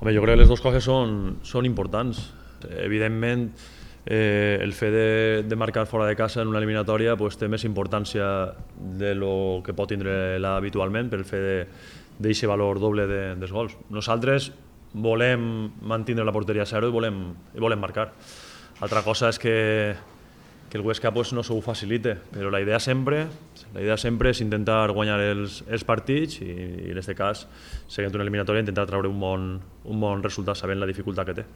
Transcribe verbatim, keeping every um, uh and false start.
Jo crec que les dues coses són, són importants. Evidentment, eh, el fet de, de marcar fora de casa en una eliminatòria pues, té més importància de lo que pot tindre habitualment per el fet d'aquest valor doble de, dels gols. Nosaltres volem mantenir la porteria a zero i volem, i volem marcar. Altra cosa és que, que el Huesca pues, no s'ho facilite, però la idea sempre, la idea sempre és intentar guanyar els, els partits i, i en aquest cas, seguint una eliminatòria, intentar treure un bon, un bon resultat sabent la dificultat que té.